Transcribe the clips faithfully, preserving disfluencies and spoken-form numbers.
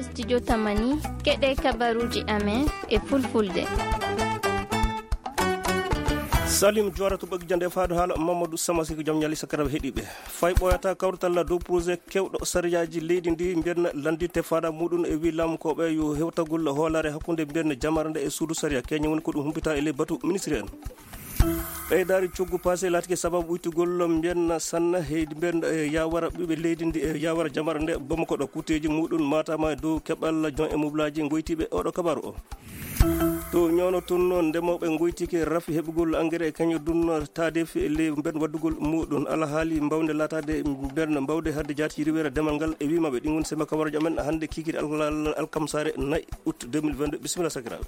Studio Tamani, keɗe kabaruuji amen e fulfulde. Salim Juwara to ɓoggijande e faado haala Mamadou Samasi ko jom ñali sakaraɓe heɗiɓe. Fay ɓooyata kawrital dow projet kewɗo sariyaaji leydi ndi mbiyen lanndinte faada muɗum e wi laamukooɓe yo hewtagol hoolaare hakkunde mbiyen jamare nde e suudu sariya keñe woni ko ɗum humpita e ley batu ministre en. Ɓeydaari coggu paase laatike sababu ɓuytugol mbiyen sanna heydi mbiyen e yawara ɓiɓe leydi ndi e yawara jamare nde bomo koɗo kutteeji muɗum matama e dow keɓal jon e mublaaji ngoytiiɓe oɗo kabaru o. To ñoono tun noon ndemooɓe ngoytike rafi heɓugol engrais e kañum dun taadeefi e ley mben waddugol muɗum alahaali mbawde laataade mben mbawde hadde jaati riweere demal ngal e wii maɓɓe ɗin woni sema kabaruuji amen hannde kiikiiɗe al- al- alkamsaare nayi août deux mille vingt-deux. Bisimilla sakiraaɓe.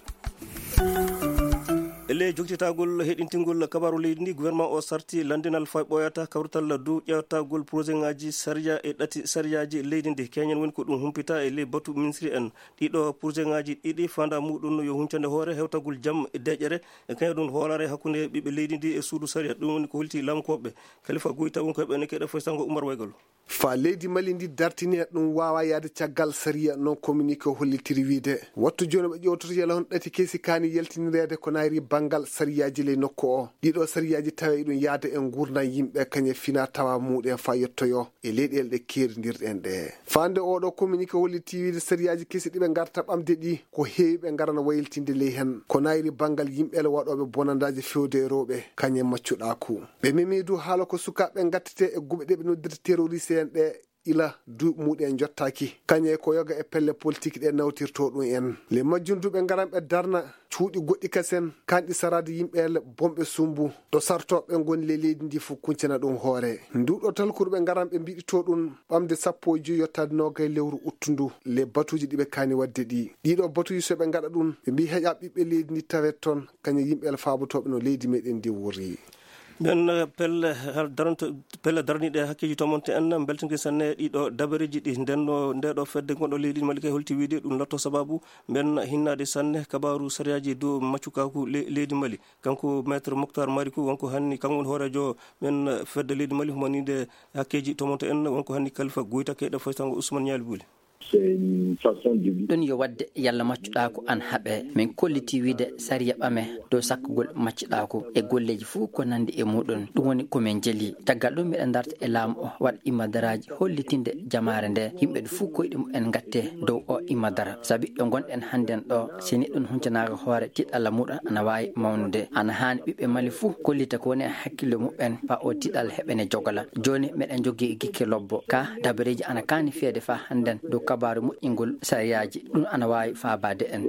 E ley joktitagol heɗintingol kabaru leydi ndi gouvernement o sarti lanndinal fay ɓooyata kawrital dow ƴeewtagol projet ngaji sariya e ɗati sariyaaji leydi ndi keñen woni ko ɗum humpita e ley batu ministri en. Ɗiɗo projet ngaji ɗiɗi fanda muɗum yo huncande hoore hewtagol jam e deƴƴere e kañum ɗum hoolare hakkunde ɓiɓɓe leydi ndi e suudu sariya. Ɗum woni ko holti laamukooɓe. Kalifa Goyta woni ko ɓen e keɗe foy sango Umar Waygol. Fa leydi Mali ndi dartini e ɗum waawa yahde caggal sariya non communiqué o hollitiri wiide wattu jooni ɓe ƴewtoto yala hono ɗati kesi kaani yaltinireede ko nayri banngal sariyaaji ley nokku o. Ɗiɗo sariyaaji tawe iɗum yahda e nguurndam yimɓe kañe fina tawa muɗum fa yettoyo e leyɗeele ɗe keerindirɗen ɗe. Faande oɗo communiqué holliti wiide sariyaaji kesi ɗiɓe ngarta ɓamde ɗi ko heewi ɓe ngarana wayiltinde ley hen ko nayri banngal yimɓe le waɗooɓe bonandaaji fewde e rewɓe kañe maccuɗaaku. Ɓe memi du haala ko sukaaɓe ngattete e guɓe ɗe ɓe noddirta terroriste en ɗe ila duuɓi muɗum en jottaaki kañe ko yoga e pelle politique ɗe nawtirto ɗum en le majjum du ɓe ngaran ɓe darna cuuɗi goɗɗi kasen kanɗi saraade yimɓe le bonɓe sumbu ɗo sartooɓe ngoni le leydi ndi fof kuncana ɗum hoore. Nduɗo talkuru ɓe ngaran ɓe mbiɗito ɗum ɓamde sappo e joyi yottaade noogay lewru uttu ndu le batuuji ɗi ɓe kaani waɗde ɗi. Ɗiɗo batuuji so ɓe ngaɗa ɗum ɓe mbi heƴa ɓiɓɓe leydi ndi tawet toon kañum yimɓe le faabotooɓe no leydi meɗen ndi wurri. Nden pelle har daranto pelle daraniiɗe hakkeeji tomonte en mbeltaniiɗe sanne ɗiɗo dabareeji ɗi ndenno ndeɗo fedde gonɗo leydi Mali kay holti wiide ɗum lotto sababu mben hinnaade sanne kabaaru sariyaaji dow maccukaaku le- leydi Mali. Kanko maître Moctar Mariku wonko hanni kanko woni hooreejo men fedde leydi Mali humaniide hakkeeji tomonte en wonko hanni Kalifa Goyta keyɗe foytango Ousmane Ñaali Buli. Ɗun yo waɗde yalla maccuɗaaku ana haɓee. Min kollitii wi'ude sariya ɓamee dow sakkugol maccuɗaaku e golleeji fuu ko nanndi e muuɗun. Ɗun woni ko min njeli. Caggal ɗun, miɗen ndarta e laamu oo, waɗa immadaraaji hollitinde jamaare ndee, yimɓe fuu koyɗi mu'en ngattee dow oo immadara. Sabi ɗo ngonɗen hannden ɗoo, si neɗɗo huncanaaka hoore, tiiɗalla muuɗun ana waawi mawnude. Ana haani ɓiɓɓe Mali fuu kollita ko woni e hakkillo mu'en faa oo tiiɗalla heɓene jogola. Jooni miɗen jogii gikke lobbo. Kaa dabareeji ana kaani fiyeede faa hannden dow kabaaru moƴƴingol sariyaaji. Ɗun ana waawi faabaade en.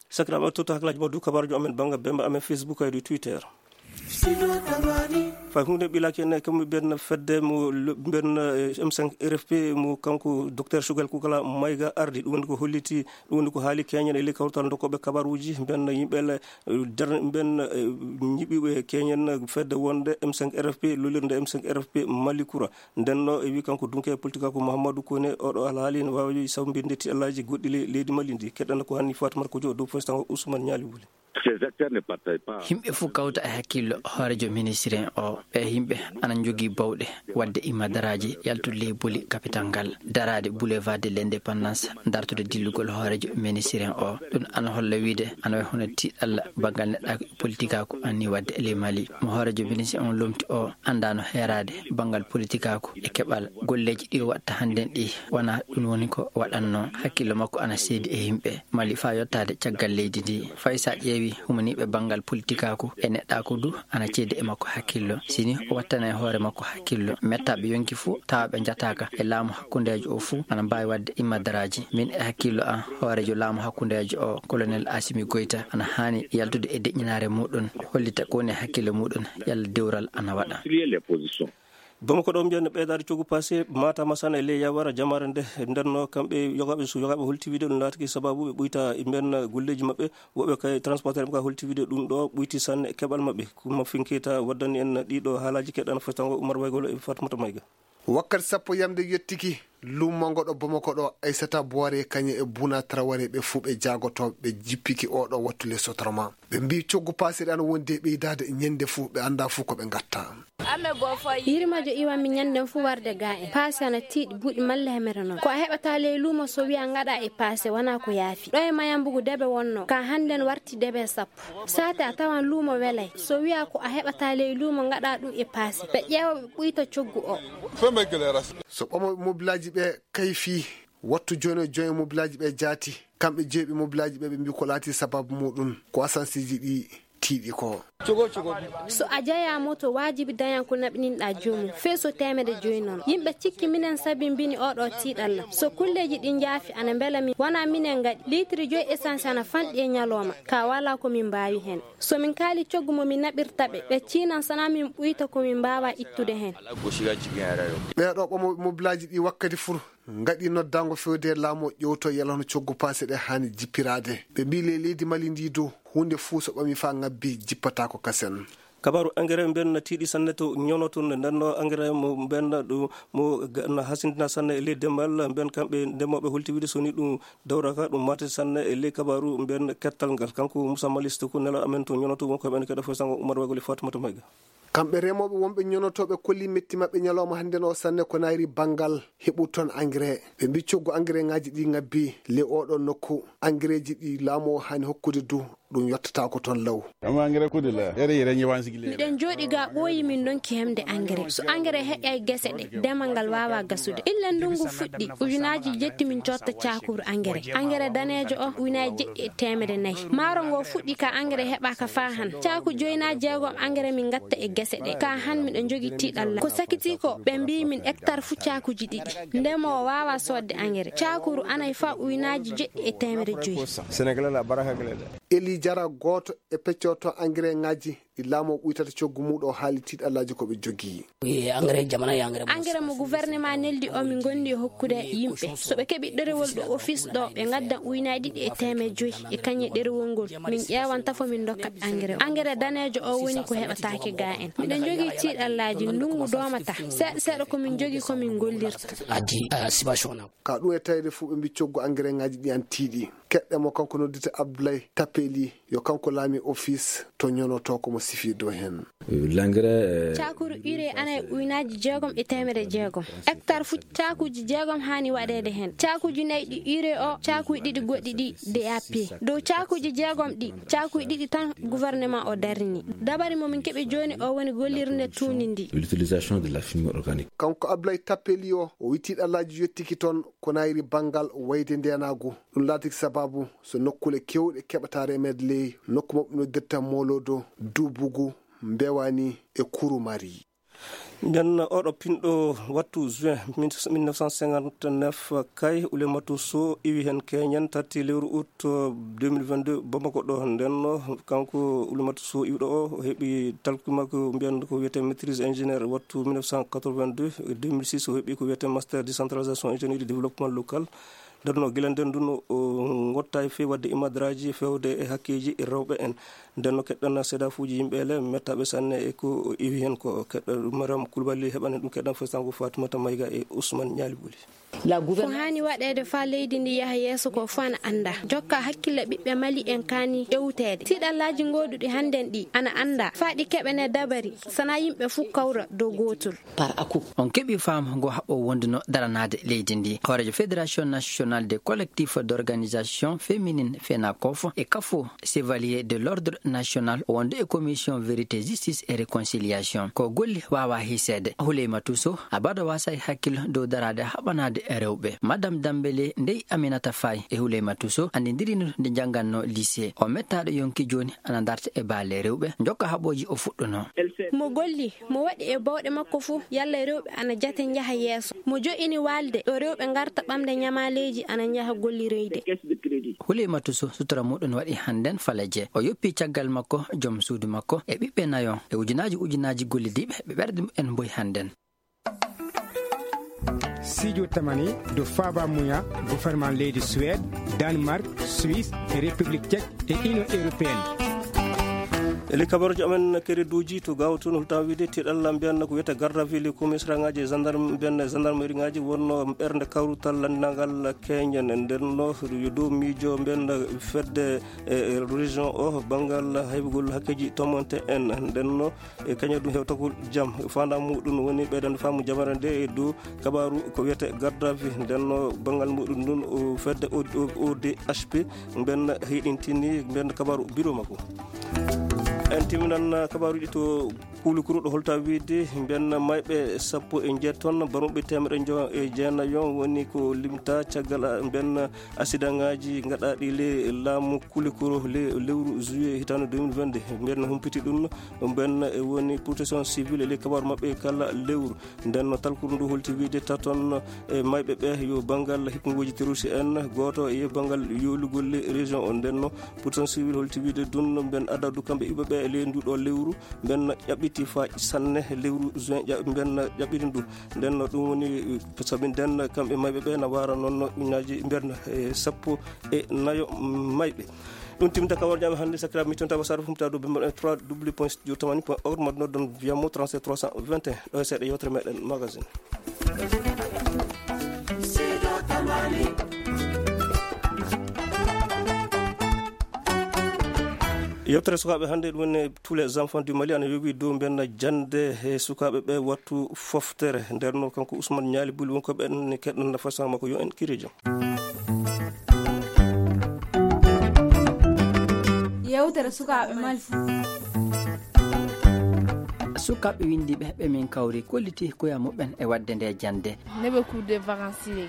Sakiraaɓe, on totta hakkilaaji mon dow kabaaruuji amen bannga bemba amen Facebook e dow Twitter. Fay huunde ɓilaaki en, kamɓe ɓen fedde mo lo-, ɓen, eh, M cinq R F P mo kanko docteur Choguel Koukala Maïga ardi. Ɗum woni ko holliti, ɗum woni ko haali keñen e ley kawtal dokkooɓe kabaaruuji ɓen yimɓe le-, eh, dar-, ɓen, eh, ñiɓiiɓe keñen fedde wonde M cinq R F P, lollirde M cinq R F P Mali Kura. Nden no e wi kanko dunke politika ko Mouhamadou Koné, oɗo alhaali ne waawi sawbinde tiɗallaaji goɗɗi le-, leydi Mali ndi. Keɗɗen ko hanni Fatoumata Kodio dow fostango Ousmane Ñaali Wuli. Ces acteurs ne partagent pas. Yimɓe fof kawta e hakkillo hooreejo ministre en o. Ɓe yimɓe ana njogii bawɗe waɗde immadaraaji, yaltude ley boli kapital ngal, daraade boulevard de l'indépendance, dartude dillugol hooreejo ministre en o. Ɗum ana holla wiide ana wayi hono tiiɗalla banngal neɗɗaaku e politikaaku anni waɗde e ley Mali. Mo hooreejo ministre on lomti o anndaano heeraade banngal politikaaku e keɓal golleeji ɗi o waɗta hannden ɗi. Wonaa ɗum woni ko waɗannoo. Hakkillo makko ana seedi e yimɓe Mali faa yottaade caggal leydi ndi. Fay so a ƴeewii humaniiɓe banngal politikaaku e neɗɗaaku du ana ceedi e makko hakkillo. Si nii o wattanay hoore makko hakkillo, mettaaɓe yonki fuu tawa ɓe njataaka e laamu hakkundeejo o fuu ana mbaawi waɗde immadaraaji. Min e hakkillo an, hooreejo laamu hakkundeejo o, Colonel Assimi Goïta, ana haani yaltude e deƴƴinaare muuɗum, hollita ko woni e hakkille muuɗum, yalla dewral ana waɗa. Bamako ɗo mbiyan ɓeydaade coggu paase, Matam Masana e ley yawara jamaare nde, ndenno kamɓe yogaaɓe, so yogaaɓe holti wiide ɗum laatiki sababu ɓe ɓuyta e mbiyan golleeji maɓɓe, woɓɓe kay transporteur ɓe ka holti wiide ɗum ɗo ɓuyti sanne e keɓal maɓɓe. Ko Mafinkeyta waddani en ɗiɗo haalaaji keɗan fotango Umar Waygolo e Fatmata Mayga. Wakkati sappo yamde yettiki, luumo ngo ɗo Bamako ɗo, Aissata Boiré kañe e Bouna Traoré ɓe fuu ɓe jaagotooɓe ɓe jippiki oo ɗo wattu le Sotrama. Ɓe mbii coggu paase ɗe ana wondi e ɓeydaade e ñande fuu, ɓe anndaa fuu ko ɓe ngatta. Yirmajo iwan mi ɲanden fuu warde ga en. Paase ana tiiɗi buuɗi malla hemere non. Ko a heɓata ley luumo so wiya ngaɗa e paase wanaa ko yaafi. Ɗo e Mayambugu debe wonnoo. Ka hannden warti debe sappo. Saate a tawan luumo welay. So wiya ko a heɓata ley luumo ngaɗa ɗum e paase. Ɓe ƴeewa ɓe ɓuyta coggu o. So ɓamooɓe mobilaaji ɓe kayfii, wattu jooni o jooni mobilaaji ɓe jaati. Kamɓe jeeɓi mobilaaji ɓe, ɓe mbii ko laati sababu muuɗum ko asansiiji ɗi tiiɗi ko. So a jeyaa moto, waajibi dañan ko naɓninɗaa joomum, fee so teemedde joy non. Yimɓe cikki minen sabimbini oo ɗoo tiiɗalla. So kulleeji ɗin njaafi, ana mbela min, wanaa minen ngaɗi. Liitiri joy essence ana fanɗi e ñalooma, kaa walaa ko min mbaawi hen. So min kaali coggu mo min naɓirta ɓe, ɓe ciinan sanaa min ɓuyta ko min mbaawaa ittude hen. Ɓee ɗoo ɓamooɓe mobilaaji ɗi wakkati fuu ngaɗi noddaango fewde e laamu o ƴeewtoo yalla hono coggu paase ɗe haani jippiraade. Ɓe mbii ley leydi Mali ndii dow, huunde fuu so ɓamii faa ŋabbii, jippataako kasen. Kabaaru engrais mbiyen na tiiɗi sanne to ñonoto nde. Nden no engrais mo mbiyen na ɗum mo ga-, na hasindina sanne e ley demal mbiyen kamɓe ndemooɓe holti wiide so ni ɗum dawraka ɗum maati sanne e ley kabaaru mbiyen kettal ngal. Kanko Moussa Malisto ko nelaaɗo amen to ñonoto wonko heɓen keɗa foy sango Umar Wagoli Fatoumata Mayga. Kamɓe remooɓe wonɓe ñonotooɓe kolli metti maɓɓe ñalawma hannden o sanne ko naayri banngal heɓu toon engrais. Ɓe mbii coggu engrais ŋaaji ɗi ŋabbii ley oo ɗoo nokku. Engrais ji ɗi laamu o haani hokkude du, ɗum yottataako toon law. Miɗen jooɗi ga ɓooyi min ndonki heɓde engrais. So engrais heƴay gese ɗe, demal ngal waawaa gasude. Illa ndunngu fuɗɗi, ujunaaji jetti min cotta caakuru engrais. Engrais daneejo o, ujunaaji jeɗɗi e teemedde nayi. Maaro ngo fuɗɗi ka engrais heɓaaka faa han. Caaku joy naa jeegom engrais min ngatta e gese ɗe. Ka han miɗo jogii tiiɗalla. Ko sakitii ko, ɓe mbii min hectare fuu caakuuji ɗiɗi. Ndemoowo waawaa soodde engrais. Caakuru anay faa ujunaaji jeɗɗi e teemedde joy. Eli Jara, gooto e peccooto engrais ŋaaji ɗi laamu o ɓuytata coggu muuɗum o haali tiiɗallaaji ko ɓe jogii. Engrais mo gouvernement neldi o min ngondi e hokkude yimɓe. So ɓe keɓi ɗerewol ɗo office ɗo, ɓe ngaddan ujunaaji ɗiɗi e teemedde joy e kañe ɗerewol ngol. Min ƴeewan tafo min ndokka ɓe engrais. Engrais daneejo o woni ko heɓataake ga en. Miɗen jogii tiiɗallaaji, ndunngu doomata. Seeɗa seeɗa ko min jogii ko min ngollirta. Ka ɗum e tawde fuu ɓe mbii coggu engrais ŋaaji ɗi ana tiiɗi. Keɗɗen mo, kanko nodditee Abdoulaye Tapeli, yo kanko laamii office to ñonotoo ko mo sifii dow hen. Caakuru urée ana e ujunaaji jeegom e teemedde jeegom. Hectare fuu caakuuji jeegom haani waɗeede hen. Caakuuji nayi ɗi urée o, caakuuji ɗiɗi goɗɗi ɗi D A P. Dow caakuuji jeegom ɗi, caakuuji ɗiɗi tan gouvernement o darni. Dabari mo min keɓi jooni o woni gollirde tuundi ndi. Kanko Abdoulaye Tapeli o, o wii tiiɗallaaji yottiki toon ko naayri banngal wayde ndeenaagu. Ɗum laatiki sabaabu so nokkuule keewɗe keɓata remeede ley nokku maɓɓe noddirta Molodo, Dubugu, Mbewani e Kurumari. Nden oɗo pinɗo wattu juin mille neuf cent cinquante-neuf kay, Oulématou Sow iwi hen keñen tati lewru août deux mille vingt-deux Bamako ɗo. Nden no kanko Oulématou Sow iwɗo o, o heɓi talki makko mbiyan ko wiyetee maîtrise ingénieur wattu mille neuf cent quatre-vingt-deux, deux mille six o heɓi ko wiyetee master décentralisation ingénierie développement local. Nden no gila nden dun o ngottaay fee wadde imadraaji fewde e hakkeeji rewɓe en. Nden no keɗɗen seedaafuuji yimɓe ele mettaaɓe sanne e ko o iwi hen ko. Keɗɗen ɗum Mariam Koulibaly heɓanen ɗum keɗɗen fo sango Fatoumata Mayga e Ousmane Ñaali Boli. Ko haani waɗeede faa leydi ndi yaha yeeso ko fuu ana anndaa. Jokka hakkille ɓiɓɓe Mali en kaani ƴewteede. Tiiɗallaaji gooduɗi hannden ɗi ana anndaa. Faa ɗi keɓanee dabari, sanaa yimɓe fuu kawra dow gootol. On keɓii faamu ngo haɓɓoo wonduno daranaade leydi ndi. Hooreejo Fédération Nationale des Collectifs d'Organisation Féminine, FENACOF, e kafo Chevalier de l'Ordre National wondu e Commission Vérité, Justice et Réconciliation. Ko golli waawaa hiiseede. Huleymatou Sow, a baɗo waasay hakkil dow daraade haɓanaade rewɓe. Madame Dambélé ndey Aminata Faye e Huleymatou Sow anndindirino nde njanngannoo lycée. O mettaaɗo yonki jooni ana darta e baale rewɓe, jokka haɓooji o fuɗɗunoo. Mo golli, mo waɗi e bawɗe makko fuu, yalla rewɓe ana jate njaha yeeso. Mo jo'ini waalde ɗo rewɓe ngarta ɓamde ñamaaleeji ana njaha golliroyde. Huleymatou Sow sutura muuɗum waɗi hannden faleje. O yoppi caggal makko, joom suudu makko, e ɓiɓɓe nayo, e ujunaaji ujunaaji gollidiiɓe ɓe ɓerɗe mumen mboyi hannden. Sijo tamani do faaba muya gouvernement leydi Suède, Danemark, Suisse e République Tchèque e Union Européenne. E ley kabaruuji amen kereduuji to gaawato no holtaa wiide tiiɗalla mbiyan ko wiyetee garde à vue ley komisariŋaaji e gendarme mbiyan gendarmeriŋaaji wonnoo ɓernde kawrutal lanndinangal keeñen. Ndennoo yo dow miijo mbiyan fedde e région o banngal heɓugol hakkeeji tomonte en. Ndennoo e kañum ɗum hewtagol jam faandaare muɗum woni ɓeydande faamu jamare nde e dow kabaaru ko wiyetee garde à vue. Ndennoo banngal muɗum ndun o fedde O D H P mbiyan hiɗintini mbiyan kabaaru biro makko. En timminan kabaaruuji to Kulikoro ɗo holtaa wiide mbiyan mayɓe sappo e njeeto, barmuɓe teemeɗɗe njo- e jeenayo woni ko limtaa caggal mbiyan asidaŋaaji gaɗaaɗi ley laamu Kulikoro ley lewru juillet hitaande deux mille vingt-deux. Mbiyan humpiti ɗum mbiyan woni protection civile ley kabaaru maɓɓe kala lewru. Ndennoo talkuru ndu holti wiide taton e mayɓe ɓe yo banngal hikmugooji terroriste en, gooto e banngal yoolugol ley région o. Ndennoo protection civile holti wiide ɗum mbiyan adadu kamɓe iɓe ɓe e ley ndu ɗo lewru mbiyan ƴaɓɓiti faa sanne lewru juin ƴa- mbiyan ƴaɓɓiti ndu. Ndennoo ɗum woni sabi nden kamɓe mayɓe ɓe na waara noon ujunnaaji mbiyan e sappo e nayo mayɓe. Ɗum timminta kabaaruuji amen hannde. Sakiraaɓe, mi tonta wasaare fumta dow bimmal en trois w point jurtamani point org, mbaɗ noddon via mo trente-sept trois cent vingt et un. Ɗo e seeɗa yewtere meɗen magazine. Yewtere sukaaɓe hannde ɗum woni tous les enfants du Mali ana yowi dow mbiyan jannde e sukaaɓe ɓe wattu foftere. Ndennoo kanko Ousmane Niali Buli woni ko ɓen keɗen nafa sama ko yo en kiri jam. Yewtere sukaaɓe Mali. Sukaaɓe winndiiɓe ɓe min kawri kolliti koya muɓɓen e waɗde nde jannde. Nebe cours de vacances.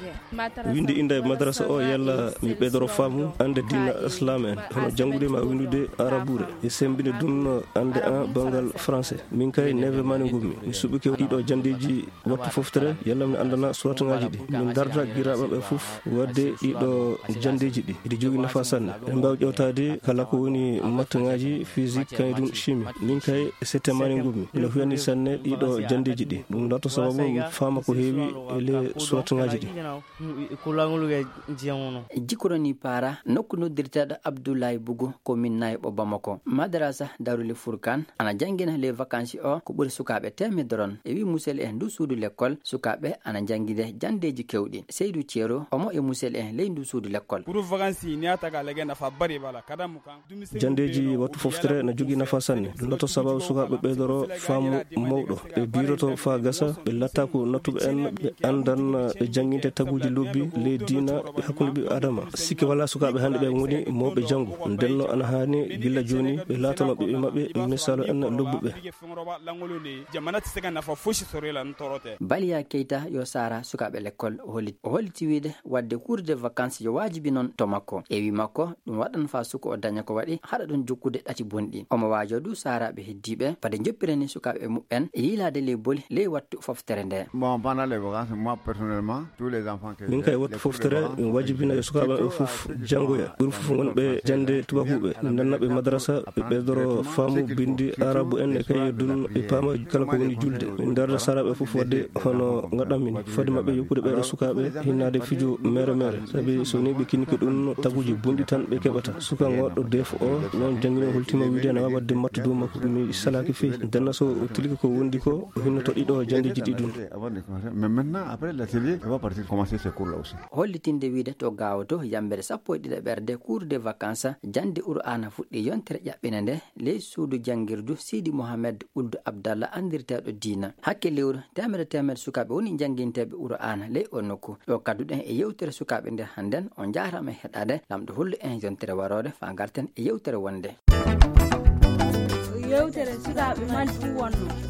Winndi innda e madarasa o yalla mi ɓeydoro faamu annde diina islaam en, hono janngude ma winndude arabuure. E semmbinde ɗum annde an banngal français. Min kay neve mani ngummi. Mi suɓike ɗiɗo janndeeji wattu foftere, yalla mi anndana suwataŋaaji ɗi. Min darda giraaɓe ɓe fof waɗde ɗiɗo janndeeji ɗi. Eɗi jogii nafa sanne. Eɗen mbaawi ƴeewtaade kala ko woni mattaŋaaji, physique, kañum ɗum chimie. Min kay sette mani ngummi. Ina huyani sanne ɗiɗo janndeeji ɗi. Ɗum lato sababu mi faama ko heewi e ley suwataŋaaji ɗi. Jikoroni Paara, nokku noddirteeɗo Abdoulaye Bougou, commune Nayɓo Bamako. Madarasa Darul Furkan ana janngina ley vacances o ko ɓuri sukaaɓe teemedere on. E wii musidɓe en ndu suudu lekkol, sukaaɓe ana njannginde janndeeji keewɗi. Seydou Thiero, omo e musidɓe en ley ndu suudu lekkol. Kuru vacances ni a taga lege nafa bari bala kada mu kan. Janndeeji wattu foftere na jogii nafa sanne. Ɗum lato sababu sukaaɓe ɓeydoro faamu mawɗo. Ɓe biiroto faa gasa, ɓe latta ko nattuɓe en, ɓe anndan, ɓe jannginte taguuji lobbi ley diina e hakkunde ɓiɓɓe Aadama. Sikke walaa sukaaɓe hannde ɓe ngoni mawɓe janngo. Ndennoo ana haani gilla jooni ɓe laatano ɓiɓɓe maɓɓe misaalu en lobbuɓe. Baliya Keita yo saara sukaaɓe lekkol. O holli-, o holliti wiide waɗde cours de vacances yo waajibi non to makko. E wii makko, ɗum waɗan faa suka o daña ko waɗi, haɗa ɗum jokkude ɗati bonɗi. Omo waajoo duu saaraaɓe heddiiɓe, fade njoppirani sukaaɓe muɓɓen e yiilaade ley boli ley wattu foftere ndee. Bon, pendant les vacances, moi, personnellement, tous les enfants que... Min kay, wattu foftere, mi waajibina e sukaaɓe am ɓe fof janngoya. Ɓuri fof wonɓe jannde tubaakuuɓe, mi nanna ɓe madarasa, ɓe ɓeydoro faamu binndi aarabu en e kay ɗum ɓe paama kala ko woni julde. Min darda saaraaɓe fof waɗde hono ngaɗanmi ni. Fade maɓɓe yokkude ɓeeɗo sukaaɓe hinnaade fijo meere meere. Sabi so ni ɓe kinike ɗum, taguuji bonɗi tan ɓe keɓata. Suka ngoɗɗo def o, noon janngino holtima wiide ana waawi waɗde matte dow makko. Mi salaaki fey. Denna so o tilike ko wondi ko, o hinnoto ɗiɗo janndeeji ɗi ɗum. Mais maintenant, après l'atelier, on va partir commencer ces cours-là aussi. Hollitinde wiide to Gaawo to yambere sappo e ɗiɗaɓerde cours de vacances, jannde Qur'aana fuɗɗii yontere ƴaɓɓinde nde ley suudu janngirdu Siidi Mohamed Uldu Abdalla anndirteeɗo Diina. Hakke lewru, teemedere teemedere sukaaɓe woni jannginteeɓe Qur'aana ley oo nokku. Ɗo kadduɗen e yewtere sukaaɓe nde hannden, on njaaraama e heɗaade. Laamɗo hollu en yontere waroore faa ngarten e yewtere wonnde. Yewtere sukaaɓe Mali fuu wonnoo.